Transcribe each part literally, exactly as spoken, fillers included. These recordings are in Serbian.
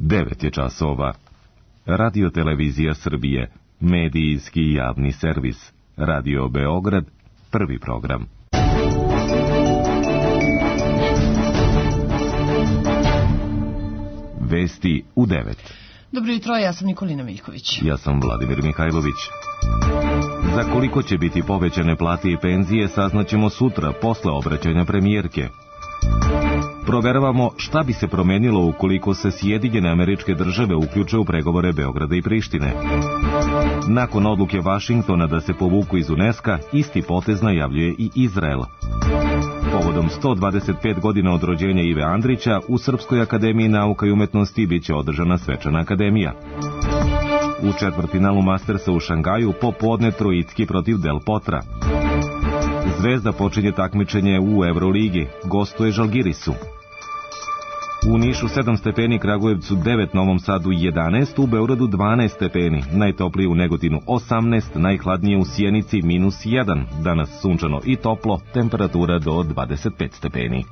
devet je časova. Radio Televizija Srbije, medijski javni servis. Radio Beograd, prvi program. Vesti u devet. Dobro jutro, ja sam Nikolina Miljković. Ja sam Vladimir Mihajlović. Za koliko će biti povećane plate i penzije saznaćemo sutra, posle obraćanja premijerke. Proveravamo šta bi se promenilo ukoliko se Sjedinjene Američke Države uključe u pregovore Beograda i Prištine. Nakon odluke Vašingtona da se povuku iz UNESCO, isti potez najavljuje i Izrael. Povodom sto dvadeset pet godina od rođenja Ive Andrića, u Srpskoj akademiji nauka i umetnosti biće održana svečana akademija. U četvrtfinalu Mastersa u Šangaju popodne Trojicki protiv Del Potra. Zvezda počinje takmičenje u Evroligi, gostuje Žalgirisu. U Nišu sedam stepeni, Kragujevcu devet, Novom Sadu jedanaest, u Beogradu dvanaest stepeni, najtoplije u Negotinu osamnaest, najhladnije u Sjenici minus jedan, danas sunčano i toplo, temperatura do dvadeset pet stepeni.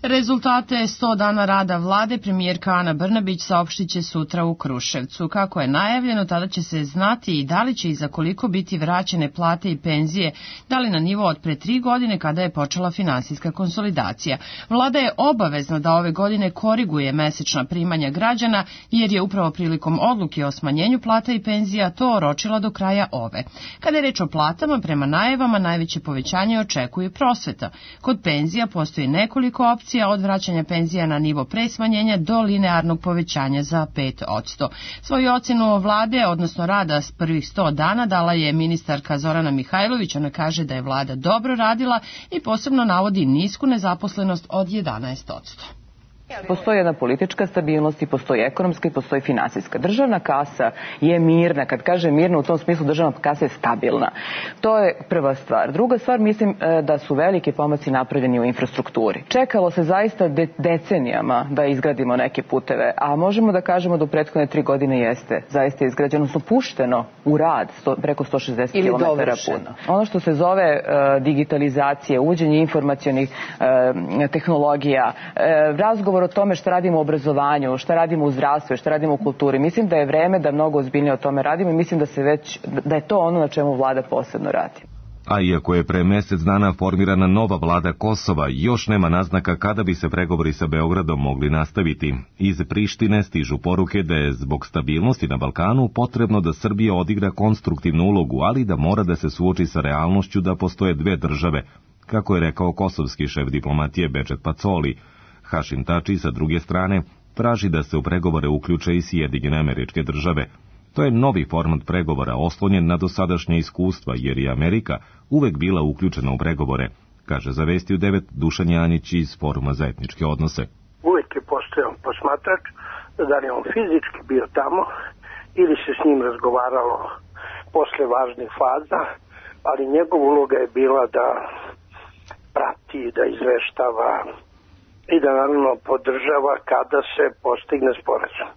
Rezultate sto dana rada vlade premijerka Ana Brnabić saopštit će sutra u Kruševcu. Kako je najavljeno, tada će se znati i da li će i za koliko biti vraćene plate i penzije, da li na nivo od pre tri godine kada je počela finansijska konsolidacija. Vlada je obavezna da ove godine koriguje mesečna primanja građana, jer je upravo prilikom odluke o smanjenju plata i penzija to oročila do kraja ove. Kada je reč o platama, prema najavama najveće povećanje očekuje prosveta. Kod penzija postoji nekoliko opcija, od vraćanja penzija na nivo pre smanjenja do linearnog povećanja za pet posto. Svoju ocenu vlade, odnosno rada s prvih sto dana, dala je ministarka Zorana Mihajlović. Ona kaže da je vlada dobro radila i posebno navodi nisku nezaposlenost od jedanaest posto. Postoji jedna politička stabilnost i postoji ekonomska i postoji finansijska. Državna kasa je mirna. Kad kaže mirna, u tom smislu državna kasa je stabilna. To je prva stvar. Druga stvar, mislim da su veliki pomaci napravljeni u infrastrukturi. Čekalo se zaista de decenijama da izgradimo neke puteve, a možemo da kažemo da u prethodne tri godine jeste zaista izgrađeno, su pušteno u rad sto, preko sto šezdeset kilometara puta. Ono što se zove uh, digitalizacija, uvođenje informacionih uh, tehnologija, uh, razgovor o tome šta radimo u obrazovanju, šta radimo u zdravstvu, šta radimo u kulturi. Mislim da je vreme da mnogo ozbiljnije o tome radimo i mislim da se već, da je to ono na čemu vlada posebno radi. A iako je pre mesec dana formirana nova vlada Kosova, još nema naznaka kada bi se pregovori sa Beogradom mogli nastaviti. Iz Prištine stižu poruke da je zbog stabilnosti na Balkanu potrebno da Srbija odigra konstruktivnu ulogu, ali da mora da se suoči sa realnošću da postoje dve države, kako je rekao kosovski šef diplomatije Bečet Pacoli. Hašim Tači, sa druge strane, traži da se u pregovore uključe i Sjedinjene Američke Države. To je novi format pregovora oslonjen na dosadašnje iskustva, jer je Amerika uvek bila uključena u pregovore, kaže za Vesti u devet Dušan Janjić iz Foruma za etničke odnose. Uvek je postojao posmatrač, da li on fizički bio tamo ili se s njim razgovaralo posle važnih faza, ali njegova uloga je bila da prati, da izveštava i da naravno podržava kada se postigne sporazum.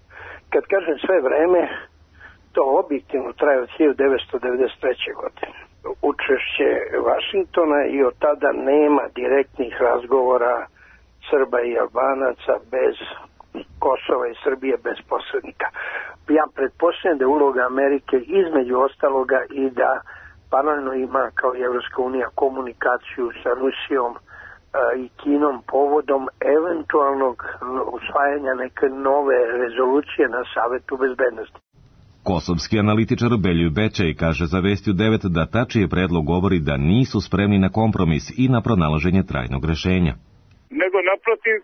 Kad kažem sve vreme, to objektivno traje od hiljadu devetsto devedeset treće. godine. Učešće Vašingtona i od tada nema direktnih razgovora Srba i Albanaca bez Kosova i Srbije bez posrednika. Ja pretpostavljam da je uloga Amerike između ostaloga i da paralelno ima kao i Evropska unija komunikaciju sa Rusijom i Kinom povodom eventualnog usvajanja neke nove rezolucije na Savetu bezbednosti. Kosovski analitičar Beljuj Bečej kaže za Vesti u devet da Tačijev predlog govori da nisu spremni na kompromis i na pronalaženje trajnog rešenja. Nego naprotiv,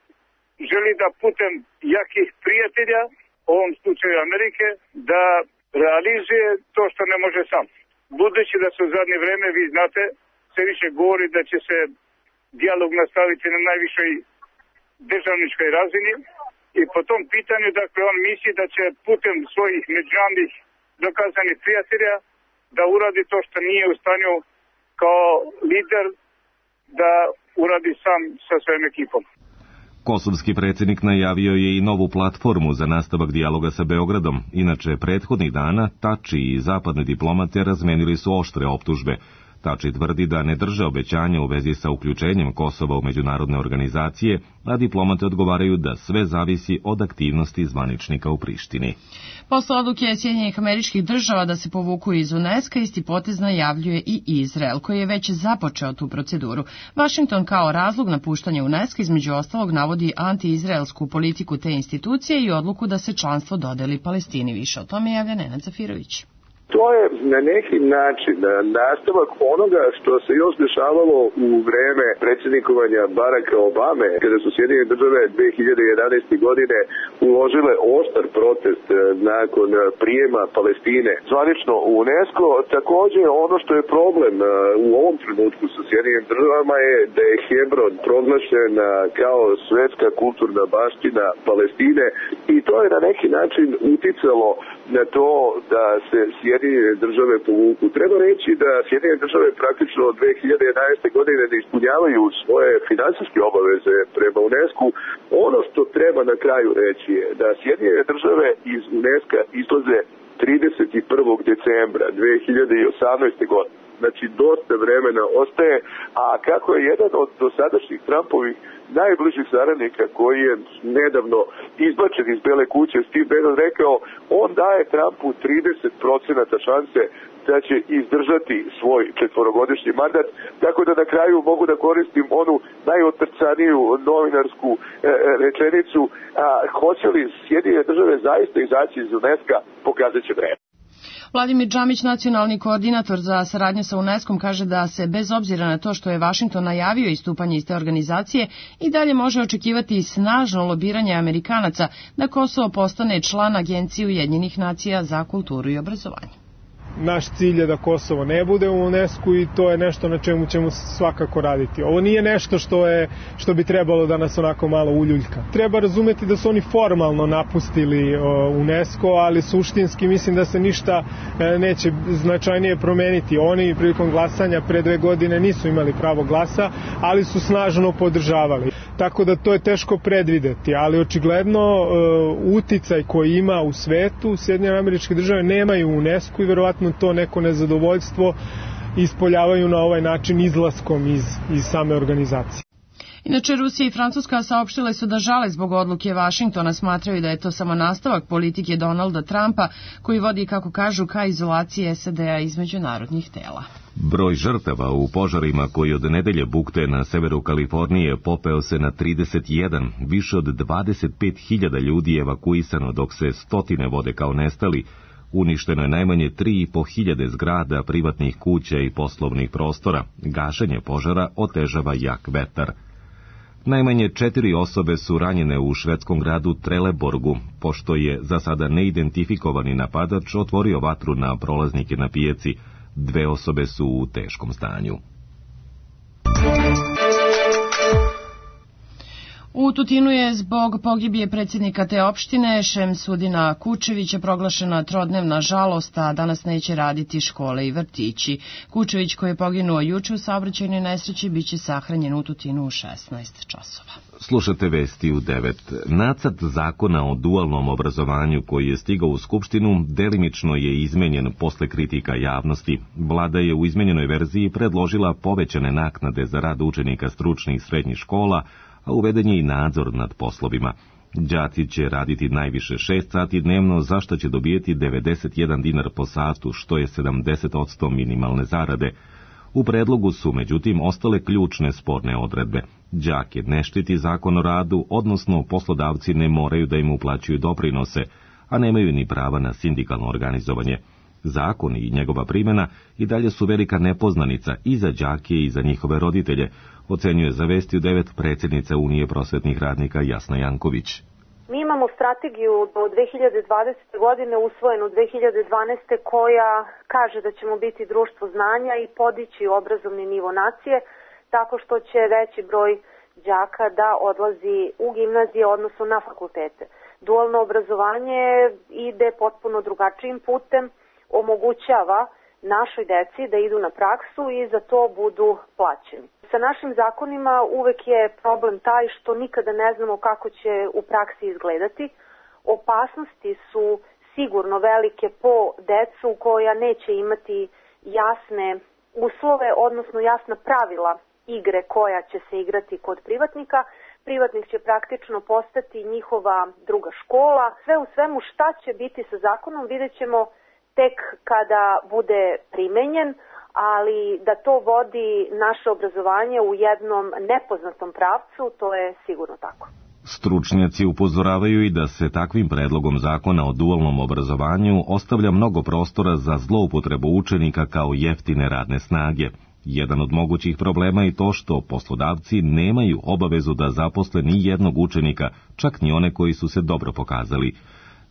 želi da putem jakih prijatelja, u ovom slučaju Amerike, da realizuje to što ne može sam. Budući da se u zadnje vreme, vi znate, sve više govori da će se dijalog nastaviti na najvišoj državničkoj razini i po tom pitanju, dakle, on misli da će putem svojih međunarodnih dokazanih prijatelja da uradi to što nije u stanju kao lider da uradi sam sa svojim ekipom. Kosovski predsjednik najavio je i novu platformu za nastavak dijaloga sa Beogradom. Inače, prethodnih dana Tači i zapadne diplomate razmenili su oštre optužbe. Tači tvrdi da ne drže obećanja u vezi sa uključenjem Kosova u međunarodne organizacije, a diplomate odgovaraju da sve zavisi od aktivnosti zvaničnika u Prištini. Posle odluke Sjedinjenih Američkih Država da se povuku iz UNESCO, isti potez najavljuje i Izrael, koji je već započeo tu proceduru. Vašington kao razlog napuštanja UNESCO između ostalog navodi anti-izraelsku politiku te institucije i odluku da se članstvo dodeli Palestini. Više o tome javlja Nenad Zafirović. To je na neki način nastavak onoga što se još dešavalo u vreme predsjednikovanja Baracka Obame, kada su Sjedinjene Države dve hiljade jedanaeste. godine uložile oštar protest nakon prijema Palestine zvanično u UNESCO. Također ono što je problem u ovom trenutku sa Sjedinjenim Državama je da je Hebron proglašen kao svetska kulturna baština Palestine i to je na neki način uticalo na to da se Sjedinjene Države povuku. Treba reći da Sjedinjene Države praktično od dve hiljade jedanaeste. godine ne ispunjavaju svoje finansijske obaveze prema UNESCO. Ono što treba na kraju reći je da Sjedinjene Države iz UNESCO izlaze trideset prvog decembra dve hiljade osamnaeste. godine. Znači, dosta vremena ostaje, a kako je jedan od dosadašnjih Trumpovih najbližih saradnika koji je nedavno izbačen iz Bele kuće, Steve Bannon, rekao, on daje Trumpu trideset procenata šanse da će izdržati svoj četvorogodišnji mandat, tako da na kraju mogu da koristim onu najotrcaniju novinarsku e, rečenicu, a hoće li Sjedinjene Države zaista izaći iz UNESCO, pokazat će vreme. Vladimir Džamić, nacionalni koordinator za saradnju sa UNESCO-om, kaže da se bez obzira na to što je Vašington najavio istupanje iz te organizacije i dalje može očekivati snažno lobiranje Amerikanaca da Kosovo postane član Agencije Ujedinjenih nacija za kulturu i obrazovanje. Naš cilj je da Kosovo ne bude u UNESCO i to je nešto na čemu ćemo svakako raditi. Ovo nije nešto što je što bi trebalo da nas onako malo uljuljka. Treba razumeti da su oni formalno napustili UNESCO, ali suštinski mislim da se ništa neće značajnije promeniti. Oni prilikom glasanja pre dve godine nisu imali pravo glasa, ali su snažno podržavali. Tako da to je teško predvideti, ali očigledno uticaj koji ima u svetu Sjedinjene Američke Države nemaju u UNESCO i verovatno to neko nezadovoljstvo ispoljavaju na ovaj način izlaskom iz, iz same organizacije. Inače, Rusija i Francuska saopštile su da žale zbog odluke Vašingtona, smatraju da je to samo nastavak politike Donalda Trumpa, koji vodi, kako kažu, ka izolaciji S A D-a iz međunarodnih tela. Broj žrtava u požarima koji od nedelje bukte na severu Kalifornije popeo se na trideset jedan, više od dvadeset pet hiljada ljudi je evakuisano dok se stotine vode kao nestali. Uništeno je najmanje tri i po hiljade zgrada, privatnih kuća i poslovnih prostora. Gašenje požara otežava jak vetar. Najmanje četiri osobe su ranjene u švedskom gradu Trelleborgu, pošto je za sada neidentifikovani napadač otvorio vatru na prolaznike na pijaci. Dve osobe su u teškom stanju. U Tutinu je zbog pogibije predsjednika te opštine Šemsudina Kučevića proglašena trodnevna žalost, a danas neće raditi škole i vrtići. Kučević, koji je poginuo juče u saobraćajnoj nesreći, biće sahranjen u Tutinu u šesnaest časova. Slušate vesti u devet. Nacrt zakona o dualnom obrazovanju koji je stigao u Skupštinu delimično je izmenjen posle kritika javnosti. Vlada je u izmenjenoj verziji predložila povećane naknade za rad učenika stručnih i srednjih škola, a uveden je i nadzor nad poslovima. Đaci će raditi najviše šest sati dnevno, za što će dobijeti devedeset jedan dinar po satu, što je sedamdeset posto minimalne zarade. U predlogu su, međutim, ostale ključne sporne odredbe. Đake ne štiti zakon o radu, odnosno poslodavci ne moraju da im uplaćuju doprinose, a nemaju ni prava na sindikalno organizovanje. Zakon i njegova primjena i dalje su velika nepoznanica i za đake i za njihove roditelje, ocenjuje za Vesti u devet predsjednica Unije prosvetnih radnika Jasna Janković. Mi imamo strategiju do dve hiljade dvadesete. godine usvojenu dve hiljade dvanaeste. koja kaže da ćemo biti društvo znanja i podići obrazovni nivo nacije tako što će veći broj đaka da odlazi u gimnazije, odnosno na fakultete. Dualno obrazovanje ide potpuno drugačijim putem, omogućava našoj deci da idu na praksu i za to budu plaćeni. Sa našim zakonima uvek je problem taj što nikada ne znamo kako će u praksi izgledati. Opasnosti su sigurno velike po decu koja neće imati jasne uslove, odnosno jasna pravila igre koja će se igrati kod privatnika. Privatnik će praktično postati njihova druga škola. Sve u svemu šta će biti sa zakonom vidjet ćemo tek kada bude primenjen, ali da to vodi naše obrazovanje u jednom nepoznatom pravcu, to je sigurno tako. Stručnjaci upozoravaju i da se takvim predlogom zakona o dualnom obrazovanju ostavlja mnogo prostora za zloupotrebu učenika kao jeftine radne snage. Jedan od mogućih problema je to što poslodavci nemaju obavezu da zaposle ni jednog učenika, čak ni one koji su se dobro pokazali.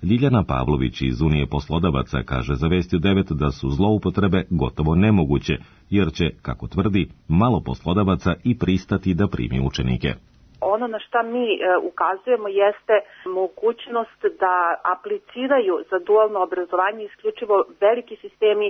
Ljiljana Pavlović iz Unije poslodavaca kaže za Vesti u devet da su zloupotrebe gotovo nemoguće, jer će, kako tvrdi, malo poslodavaca i pristati da primi učenike. Ono na šta mi e, ukazujemo jeste mogućnost da apliciraju za dualno obrazovanje isključivo veliki sistemi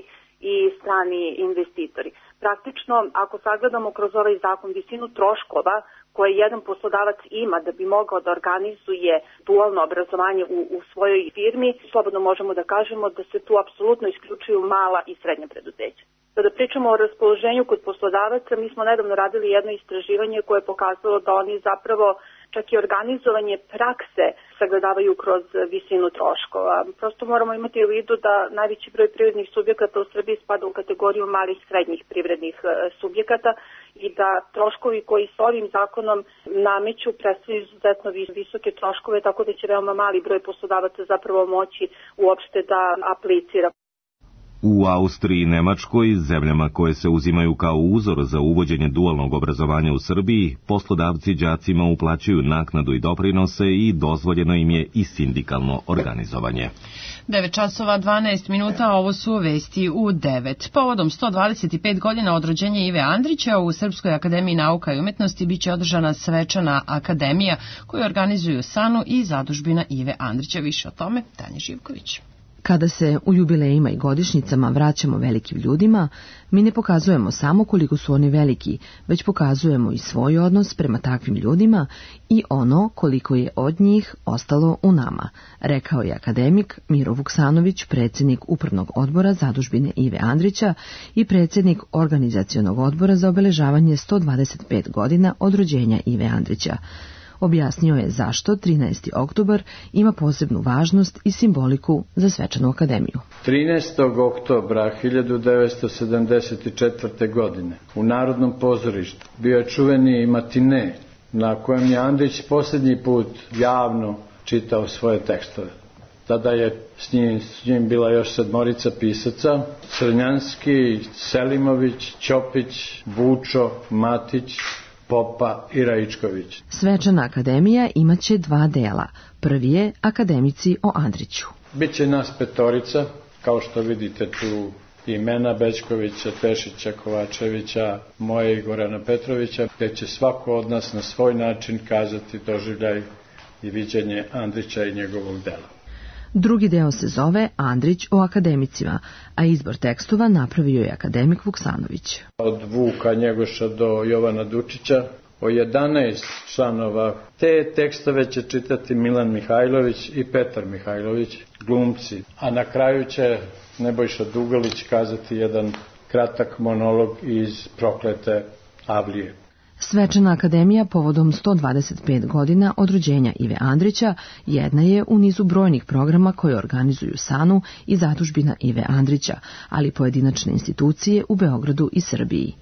i strani investitori. Praktično, ako sagledamo kroz ovaj zakon visinu troškova koje jedan poslodavac ima da bi mogao da organizuje dualno obrazovanje u, u svojoj firmi, slobodno možemo da kažemo da se tu apsolutno isključuju mala i srednja preduzeća. Kada pričamo o raspoloženju kod poslodavaca, mi smo nedavno radili jedno istraživanje koje je pokazalo da oni zapravo čak i organizovanje prakse sagledavaju kroz visinu troškova. Prosto moramo imati u vidu da najveći broj privrednih subjekata u Srbiji spada u kategoriju malih i srednjih privrednih subjekata i da troškovi koji s ovim zakonom nameću predstavljaju izuzetno visoke troškove, tako da će veoma mali broj poslodavaca zapravo moći uopšte da aplicira. U Austriji i Nemačkoj, zemljama koje se uzimaju kao uzor za uvođenje dualnog obrazovanja u Srbiji, poslodavci đacima uplaćuju naknadu i doprinose i dozvoljeno im je i sindikalno organizovanje. devet časova dvanaest minuta, ovo su vesti u devet. Povodom sto dvadeset pet godina od rođenja Ive Andrića u Srpskoj akademiji nauka i umetnosti biće održana svečana akademija koju organizuju SANU i zadužbina Ive Andrića. Više o tome Tanja Živković. Kada se u jubilejima i godišnjicama vraćamo velikim ljudima, mi ne pokazujemo samo koliko su oni veliki, već pokazujemo i svoj odnos prema takvim ljudima i ono koliko je od njih ostalo u nama, rekao je akademik Miro Vuksanović, predsjednik Upravnog odbora zadužbine Ive Andrića i predsjednik Organizacionog odbora za obeležavanje sto dvadeset pet godina od rođenja Ive Andrića. Objasnio je zašto trinaesti oktobar ima posebnu važnost i simboliku za svečanu akademiju. trinaestog oktobra hiljadu devetsto sedamdeset četvrte. godine u Narodnom pozorištu bio je čuveni matine na kojem je Andrić posljednji put javno čitao svoje tekstove. Tada je s njim, s njim bila još sedmorica pisaca: Crnjanski, Selimović, Ćopić, Vučo, Matić, Popa i Raičković. Svečana akademija imaće dva dela. Prvi je akademici o Andriću. Biće nas petorica, kao što vidite tu imena Bećkovića, Pešića, Kovačevića, moje i Gorana Petrovića, gdje će svako od nas na svoj način kazati doživljaj i viđenje Andrića i njegovog dela. Drugi deo se zove Andrić o akademicima, a izbor tekstova napravio je akademik Vuksanović. Od Vuka Njegoša do Jovana Dučića, o jedanaest članova. Te tekstove će čitati Milan Mihajlović i Petar Mihajlović, glumci. A na kraju će Nebojša Dugalić kazati jedan kratak monolog iz Proklete Avlije. Svečana akademija povodom sto dvadeset pet godina od rođenja Ive Andrića jedna je u nizu brojnih programa koje organizuju SANU i zadužbina Ive Andrića, ali pojedinačne institucije u Beogradu i Srbiji.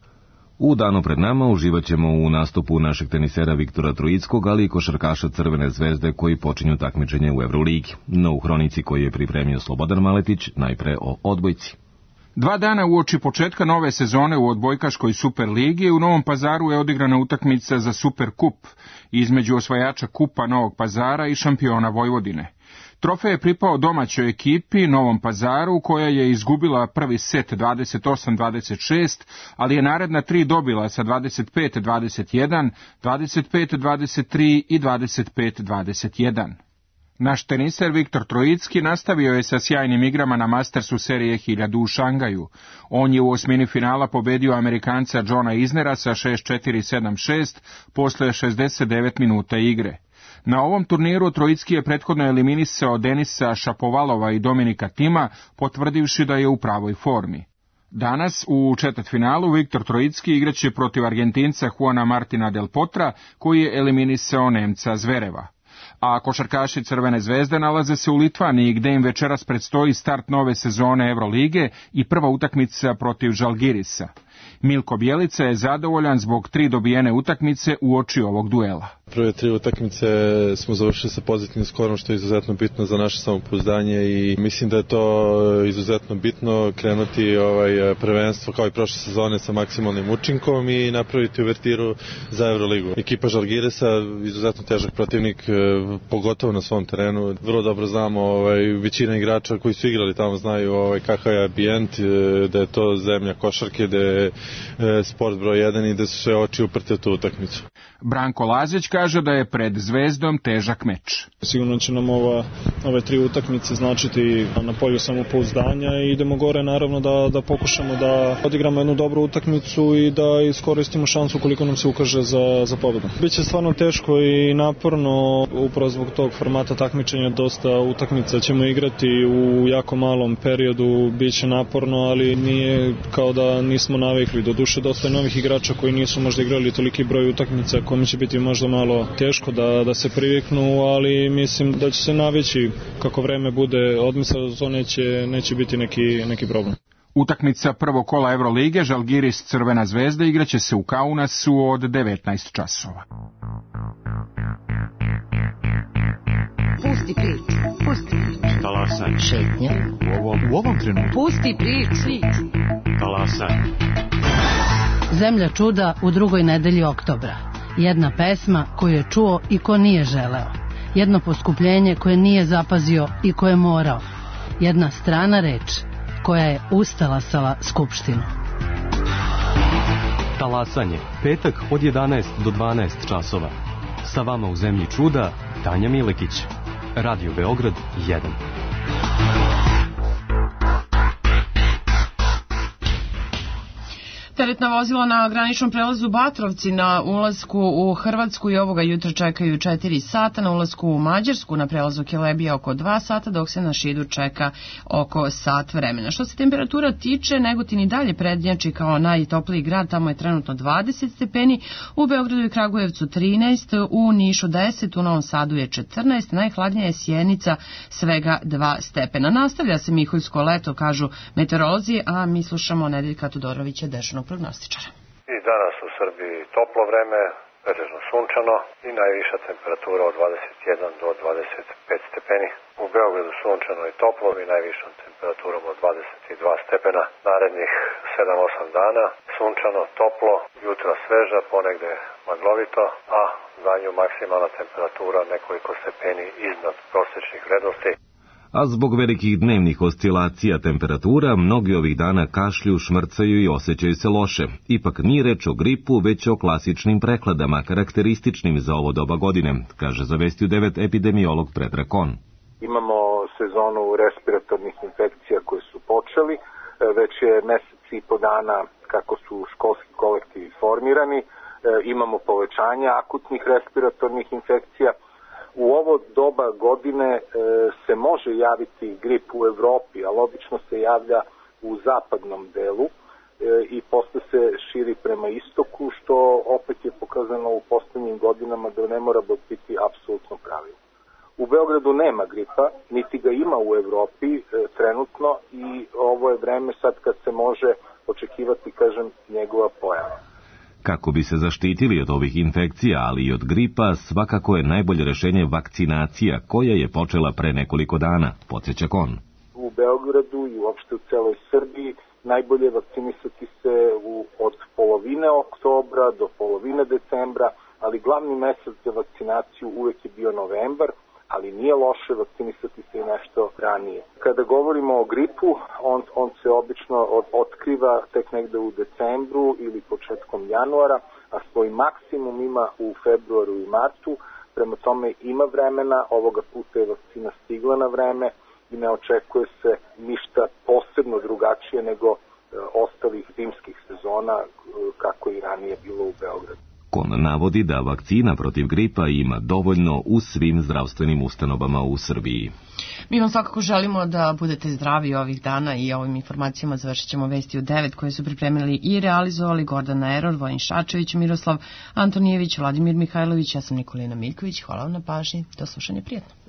U danu pred nama uživat ćemo u nastupu našeg tenisera Viktora Trojickog, ali i košarkaša Crvene zvezde koji počinju takmičenje u Evroligi. No u hronici koju je pripremio Slobodan Maletić, najpre o odbojci. Dva dana uoči početka nove sezone u odbojkaškoj Superligi u Novom Pazaru je odigrana utakmica za Superkup između osvajača Kupa Novog Pazara i šampiona Vojvodine. Trofej je pripao domaćoj ekipi Novom Pazaru koja je izgubila prvi set dvadeset osam dvadeset šest, ali je naredna tri dobila sa dvadeset pet dvadeset jedan, dvadeset pet dvadeset tri i dvadeset pet dvadeset jedan. Naš teniser Viktor Trojicki nastavio je sa sjajnim igrama na Mastersu serije hiljadu u Šangaju. On je u osmini finala pobedio Amerikanca Johna Isnera sa šest četiri sedam šest posle šezdeset devet minuta igre. Na ovom turniru Trojicki je prethodno eliminisao Denisa Šapovalova i Dominika Tima, potvrdivši da je u pravoj formi. Danas u četvrtfinalu Viktor Trojicki igraće protiv Argentinca Juana Martina del Potra, koji je eliminisao Nemca Zvereva. A košarkaši Crvene zvezde nalaze se u Litvaniji, gde im večeras predstoji start nove sezone Evrolige i prva utakmica protiv Žalgirisa. Milko Bjelica je zadovoljan zbog tri dobijene utakmice uoči ovog duela. Prve tri utakmice smo završili sa pozitivnim skorom, što je izuzetno bitno za naše samopouzdanje i mislim da je to izuzetno bitno krenuti ovaj prvenstvo kao i prošle sezone sa maksimalnim učinkom i napraviti uvertiru za Evroligu. Ekipa Žalgirisa, izuzetno težak protivnik, pogotovo na svom terenu. Vrlo dobro znamo, ovaj, većina igrača koji su igrali tamo znaju ovaj, kakav je ambijent, da je to zemlja košarke, da je sport broj jedan i da su sve oči uprte u tu utakmicu. Branko Lazić kaže da je pred Zvezdom težak meč. Sigurno će nam ova, ove tri utakmice značiti na polju samopouzdanja i idemo gore naravno da, da pokušamo da odigramo jednu dobru utakmicu i da iskoristimo šansu koliko nam se ukaže za, za pobedu. Biće stvarno teško i naporno, upravo zbog tog formata takmičenja, dosta utakmica ćemo igrati u jako malom periodu, biće naporno, ali nije kao da nismo navikli. Doduše dosta je novih igrača koji nisu možda igrali toliki broj utakmica, kome će biti možda malo teško da, da se priviknu, ali mislim da će se navići kako vreme bude odmisla, to neće, neće biti neki, neki problem. Utakmica prvog kola Evrolige Žalgiris Crvena zvezda igraće se u Kaunasu od devetnaest časova. Pusti priču, pusti priču. Talasaj. Šetnja. U ovom, u ovom trenutku. Pusti priču. Talasaj. Zemlja čuda u drugoj nedelji oktobra. Jedna pesma koju je čuo i ko nije želeo. Jedno poskupljenje koje nije zapazio i koje je morao. Jedna strana reč koja je ustalasala Skupštinu. Talasanje. Petak od jedanaest do dvanaest časova. Sa vama u Zemlji čuda Tanja Milekić. Radio Beograd jedan. Teretna vozila na graničnom prelazu Batrovci na ulasku u Hrvatsku i ovoga jutra čekaju četiri sata, na ulasku u Mađarsku na prelazu Kelebija oko dva sata, dok se na Šidu čeka oko sat vremena. Što se temperatura tiče, Negotin i dalje prednjači kao najtopliji grad, tamo je trenutno dvadeset stepeni, u Beogradu i Kragujevcu trinaest, u Nišu deset, u Novom Sadu je četrnaest, najhladnija je Sjenica svega dva stepena. Nastavlja se miholjsko leto, kažu meteorolozi, a mi slušamo Nedeljka Todorovića, dežurnog prognostičara. I danas u Srbiji toplo vreme, pretežno sunčano i najviša temperatura od dvadeset jedan do dvadeset pet stepeni. U Beogradu sunčano i toplo i najvišom temperaturom od dvadeset dva stepena. Narednih sedam osam dana sunčano, toplo, jutra sveža, ponegde maglovito, a za nju maksimalna temperatura nekoliko stepeni iznad prosječnih vrednosti. A zbog velikih dnevnih oscilacija temperatura, mnogi ovih dana kašlju, šmrcaju i osjećaju se loše. Ipak nije reč o gripu, već o klasičnim prekladama, karakterističnim za ovo doba godine, kaže za Vesti u devet epidemiolog Predrag Kon. Imamo sezonu respiratornih infekcija koje su počeli, već je mesec i po dana kako su školski kolektivi formirani, imamo povećanje akutnih respiratornih infekcija. U ovo doba godine e, se može javiti grip u Evropi, ali obično se javlja u zapadnom delu e, i posle se širi prema istoku, što opet je pokazano u poslednjim godinama da ne mora biti apsolutno pravilo. U Beogradu nema gripa, niti ga ima u Evropi e, trenutno i ovo je vreme sad kad se može očekivati, kažem, njegova pojava. Kako bi se zaštitili od ovih infekcija, ali i od gripa, svakako je najbolje rešenje vakcinacija, koja je počela pre nekoliko dana, podsjeća Kon. U Beogradu i uopšte u celoj Srbiji najbolje vakcinisati se u, od polovine oktobra do polovine decembra, ali glavni mesec za vakcinaciju uvek je bio novembar, ali nije loše vakcinisati se i nešto ranije. Kada govorimo o gripu, on, on se obično od, otkriva tek negde u decembru ili početkom januara, a svoj maksimum ima u februaru i martu, prema tome ima vremena, ovoga puta je vakcina stigla na vreme i ne očekuje se ništa posebno drugačije nego e, ostalih zimskih sezona, e, kako i ranije bilo u Beogradu. Zakon navodi da vakcina protiv gripa ima dovoljno u svim zdravstvenim ustanovama u Srbiji. Mi vam svakako želimo da budete zdravi ovih dana i ovim informacijama završit ćemo vesti u devet koje su pripremili i realizovali Gordana Eror, Vojin Šačević, Miroslav Antonijević, Vladimir Mihajlović, ja sam Nikolina Miljković. Hvala vam na pažnji. Do slušanja, prijatno.